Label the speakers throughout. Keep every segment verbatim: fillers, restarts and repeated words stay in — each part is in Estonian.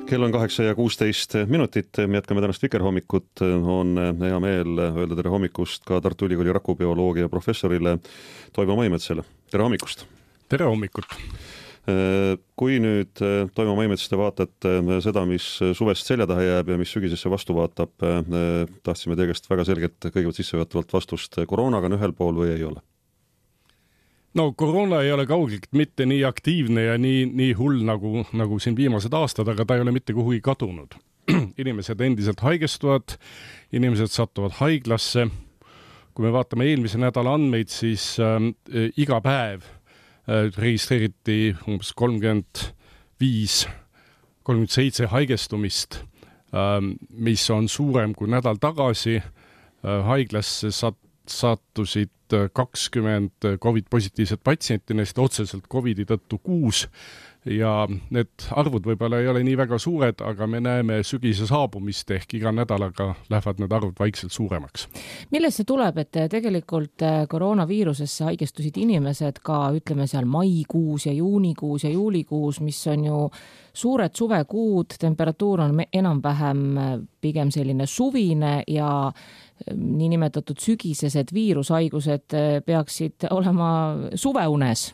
Speaker 1: Kell on kaheksa ja kuusteist minutit, me jätkame tänast Vikerhommikut, on hea meel öelda tere hommikust ka Tartu Ülikooli rakubioloogia professorile Toivo Maimetsale. Tere hommikust!
Speaker 2: Tere hommikut!
Speaker 1: Kui nüüd Toivo Maimets te vaatate seda, mis suvest selja taha jääb ja mis sügisesse vastu vaatab, tahtsime teie käest väga selgelt kõigepealt sissejuhatavalt vastust, koroonaga on ühel pool või ei ole?
Speaker 2: No koroona ei ole kaugelt mitte nii aktiivne ja nii, nii hull nagu, nagu siin viimased aastad, aga ta ei ole mitte kuhugi kadunud. Inimesed endiselt haigestuvad, inimesed sattuvad haiglasse. Kui me vaatame eelmise nädala andmeid, siis äh, iga päev äh, registreeriti umbes kolmkümmend viis, kolmkümmend seitse haigestumist, äh, mis on suurem kui nädal tagasi. Äh, haiglasse sat- sattusid kakskümmend COVID-positiivset patsienti, neist otseselt COVID-i tõttu kuus ja need arvud võib-olla ei ole nii väga suured, aga me näeme sügise saabumist ehk iga nädalaga lähevad need arvud vaikselt suuremaks.
Speaker 3: Millest see tuleb, et tegelikult koroonaviirusesse haigestusid inimesed ka ütleme seal maikuus ja juunikuus ja juulikuus, mis on ju suured suvekuud, temperatuur on enam-vähem pigem selline suvine ja niinimetatud sügisesed viirushaigused peaksid olema suveunes.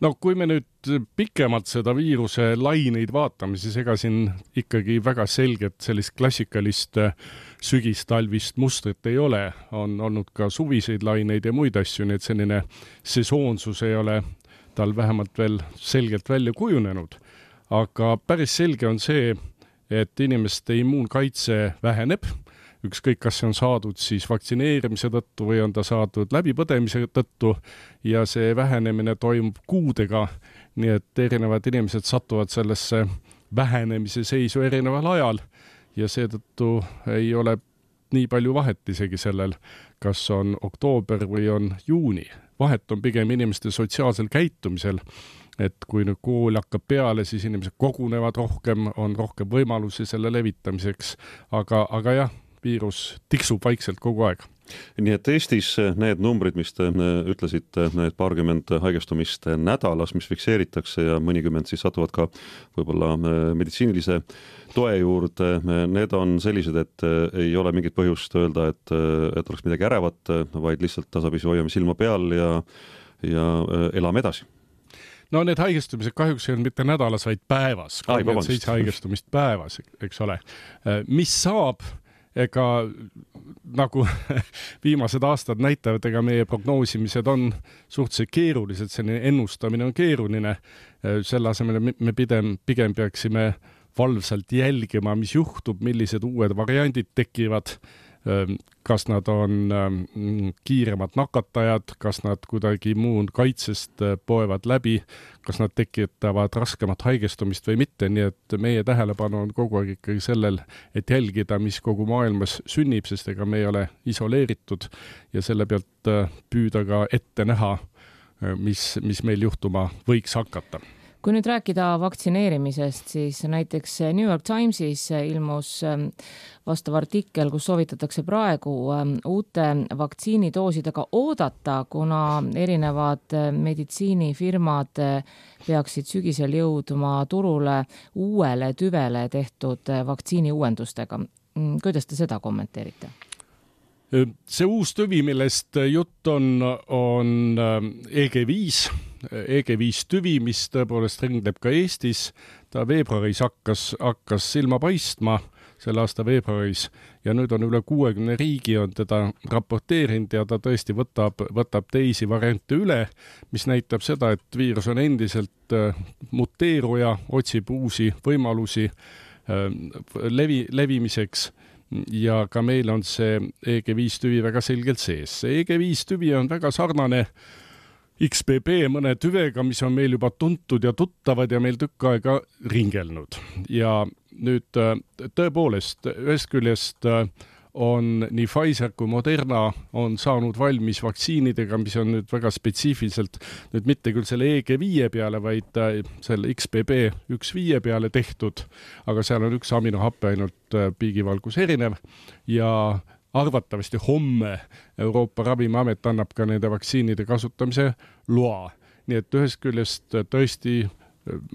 Speaker 2: No kui me nüüd pikemalt seda viiruse laineid vaatame, siis ega siin ikkagi väga selget sellist klassikalist sügistalvist mustrit ei ole. On olnud ka suviseid laineid ja muid asju, nii et selline sesoonsus ei ole tal vähemalt veel selgelt välja kujunenud. Aga päris selge on see, et inimeste immuunkaitse väheneb, ükskõik kas see on saadud siis vaktsineerimise tõttu või on ta saadud läbipõdemise tõttu ja see vähenemine toimub kuudega, nii et erinevad inimesed satuvad sellesse vähenemise seisu erineval ajal ja seetõttu ei ole nii palju vahet isegi sellel, kas on oktoober või on juuni. Vahet on pigem inimeste sotsiaalsel käitumisel, et kui nüüd kool hakkab peale, siis inimesed kogunevad rohkem, on rohkem võimalusi selle levitamiseks, aga, aga jah, viirus tiksub vaikselt kogu aeg.
Speaker 1: Nii et Eestis need numbrid, mis te ütlesite, need paarkümmend haigestumist nädalas, mis fikseeritakse ja mõnikümmend siis satuvad ka võib-olla meditsiinilise toe juurde, need on sellised, et ei ole mingit põhjust öelda, et, et oleks midagi ärevat, vaid lihtsalt tasapisi hoiame silma peal ja, ja elame edasi.
Speaker 2: No need haigestumised kahjuks ei ole mitte nädalas, vaid päevas. kolmkümmend seitse haigestumist päevas, eks ole. Mis saab? Ega nagu viimased aastad näitavad, ega meie prognoosimised on suhteliselt keerulised, selline ennustamine on keeruline. Selle asemel me pigem, pigem peaksime valvsalt jälgima, mis juhtub, millised uued variandid tekivad, kas nad on kiiremad nakatajad, kas nad kuidagi muun kaitsest poevad läbi, kas nad tekitavad raskemat haigestumist või mitte, nii et meie tähelepanu on kogu aeg ikkagi sellel, et jälgida, mis kogu maailmas sünnib, sest ega me ei ole isoleeritud ja selle pealt püüda ka ette näha, mis, mis meil juhtuma võiks hakata.
Speaker 3: Kui nüüd rääkida vaktsineerimisest, siis näiteks New York Timesis ilmus vastav artikkel, kus soovitatakse praegu uute vaktsiinidoosidega oodata, kuna erinevad meditsiinifirmad peaksid sügisel jõudma turule uuele tüvele tehtud vaktsiini uuendustega. Kuidas te seda kommenteerite?
Speaker 2: See uus tüvi, millest jutt on, on E G viis, E G viis tüvi, mis tõepoolest ringleb ka Eestis. Ta veebruaris hakkas, hakkas silma paistma selle aasta veebruaris ja nüüd on üle kuuekümne riigi on teda raporteerinud ja ta tõesti võtab, võtab teisi variante üle, mis näitab seda, et viirus on endiselt muteeruja, otsib uusi võimalusi levi, levimiseks. Ja ka meil on see E G viis tüvi väga selgelt sees. See E G viis tüvi on väga sarnane X B B mõne tüvega, mis on meil juba tuntud ja tuttavad ja meil tükk aega ringelnud. Ja nüüd tõepoolest ühest küljest on nii Pfizer kui Moderna on saanud valmis vaktsiinidega, mis on nüüd väga spetsiifiliselt nüüd mitte küll selle E G viis peale, vaid selle X B B üks viis peale tehtud, aga seal on üks aminohappe ainult piigivalgus erinev ja arvatavasti homme Euroopa Ravimiamet annab ka nende vaktsiinide kasutamise loa. Nii et ühest küljest tõesti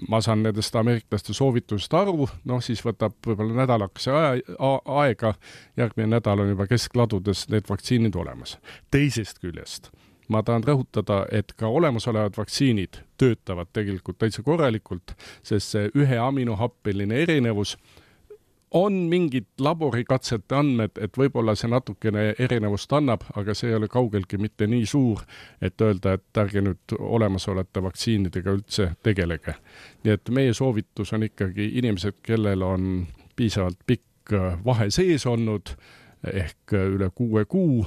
Speaker 2: ma saan nendest ameeriklaste soovitusest aru, noh siis võtab võib-olla nädalakese aega, järgmine nädal on juba keskladudes need vaktsiinid olemas. Teisest küljest ma tahan rõhutada, et ka olemasolevad vaktsiinid töötavad tegelikult täitsa korralikult, sest see ühe aminohappeline erinevus on mingid laborikatsete andmed, et võib-olla see natukene erinevust annab, aga see ei ole kaugelgi mitte nii suur, et öelda, et ärge nüüd olemasolevate vaktsiinidega üldse tegelege. Nii et meie soovitus on ikkagi inimesed, kellel on piisavalt pikk vahe sees olnud, ehk üle kuue kuu,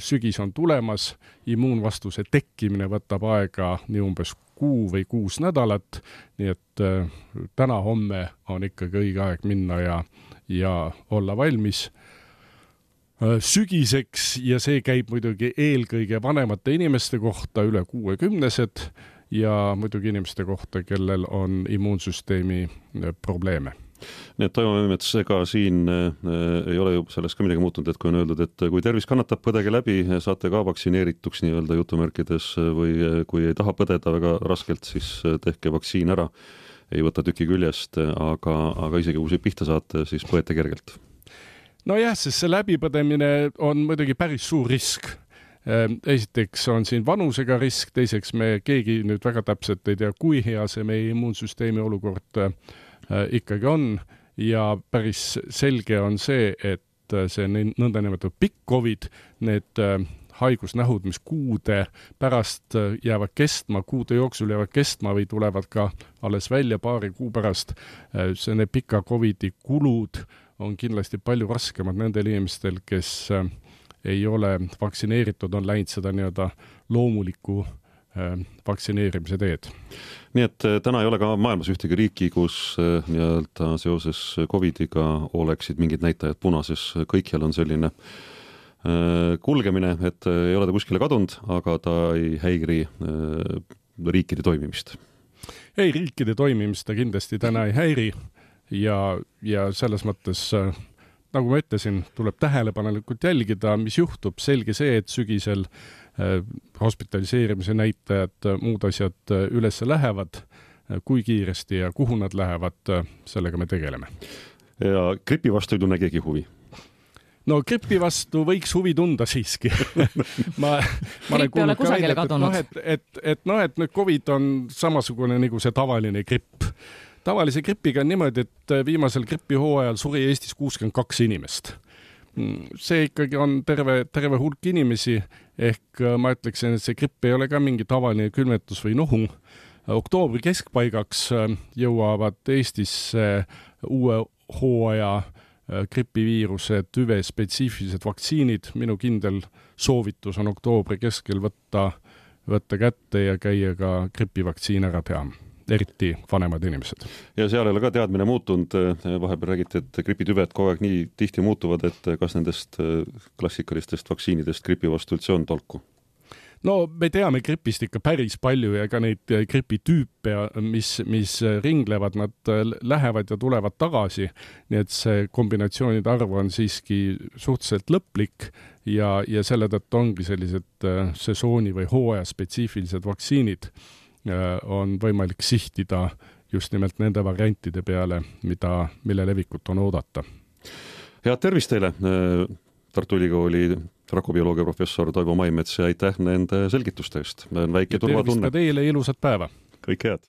Speaker 2: sügis on tulemas, immuunvastuse tekkimine võtab aega nii umbes kuu või kuus nädalat, nii et äh, täna homme on ikkagi õige aeg minna ja, ja olla valmis äh, sügiseks ja see käib muidugi eelkõige vanemate inimeste kohta, üle kuuekümnesed ja muidugi inimeste kohta, kellel on immuunsüsteemi äh, probleeme.
Speaker 1: Nii et Toivo Memmets, ega siin äh, ei ole ju sellest ka midagi muutunud, et kui on öeldud, et kui tervis kannatab, põdege läbi, saate ka vaktsineerituks nii-öelda jutumärkides või kui ei taha põdeda väga raskelt, siis tehke vaktsiin ära, ei võta tüki küljest, aga, aga isegi kui see pihta saate, siis põete kergelt.
Speaker 2: No jah, sest see läbipõdemine on muidugi päris suur risk. Esiteks on siin vanusega risk, teiseks me keegi nüüd väga täpselt ei tea, kui hea see meie immuunsüsteemi olukord ikkagi on ja päris selge on see, et see nõndanimetatud pikk COVID, need haigusnähud, mis kuude pärast jäävad kestma, kuude jooksul jäävad kestma või tulevad ka alles välja paari kuu pärast, see need pika COVIDi kulud on kindlasti palju raskemad nendel inimestel, kes ei ole vaktsineeritud, on läinud seda nii-öelda loomuliku vaktsineerimise teed.
Speaker 1: Nii et täna ei ole ka maailmas ühtegi riiki, kus nii-öelda seoses COVIDiga oleksid mingid näitajad punases. Kõikjal on selline kulgemine, et ei ole ta kuskile kadunud, aga ta ei häiri riikide toimimist.
Speaker 2: Ei, riikide toimimist ta kindlasti täna ei häiri ja, ja selles mõttes, nagu ma ütlesin, tuleb tähelepanelikult jälgida, mis juhtub. Selge see, et sügisel hospitaliseerimise näitajad, muud asjad üles lähevad, kui kiiresti ja kuhu nad lähevad, sellega me tegeleme.
Speaker 1: Ja gripi vastu ei tunne keegi huvi?
Speaker 2: No gripi vastu võiks huvi tunda siiski. ma, ma
Speaker 3: Gripp ei ole kusagile kadunud.
Speaker 2: Et, et, et, et, no, et nüüd COVID on samasugune nagu see tavaline gripp. Tavalise gripiga on niimoodi, et viimasel gripihooajal suri Eestis kuuskümmend kaks inimest. See ikkagi on terve, terve hulk inimesi, ehk ma ütleksin, et see gripp ei ole ka mingi tavaline külmetus või nohu. Oktoobri keskpaigaks jõuavad Eestisse uue hooaja gripiviiruse tüve spetsiifilised vaktsiinid. Minu kindel soovitus on oktoobri keskel võtta, võtta kätte ja käia ka gripivaktsiin ära teha. Eriti vanemad inimesed. Ja
Speaker 1: seal ei ole ka teadmine muutunud. Vahepeal räägiti, et gripitüved kogu aeg nii tihti muutuvad, et kas nendest klassikalistest vaktsiinidest gripi vastu üldse on tolku?
Speaker 2: No me teame gripist ikka päris palju ja ka neid gripitüüpe, mis, mis ringlevad, nad lähevad ja tulevad tagasi. Nii et see kombinatsioonide arv on siiski suhteliselt lõplik ja, ja selle tõttu ongi sellised sesooni või hooaja spetsiifilised vaktsiinid on võimalik sihtida just nimelt nende variantide peale, mida, mille levikut on oodata.
Speaker 1: Head tervist teile, Tartu Ülikooli rakubioloogia professor Toivo Maimets ja aitäh nende selgituste eest. Väike turvatunne.
Speaker 2: Tervist ka teile, ilusat päeva.
Speaker 1: Kõik head.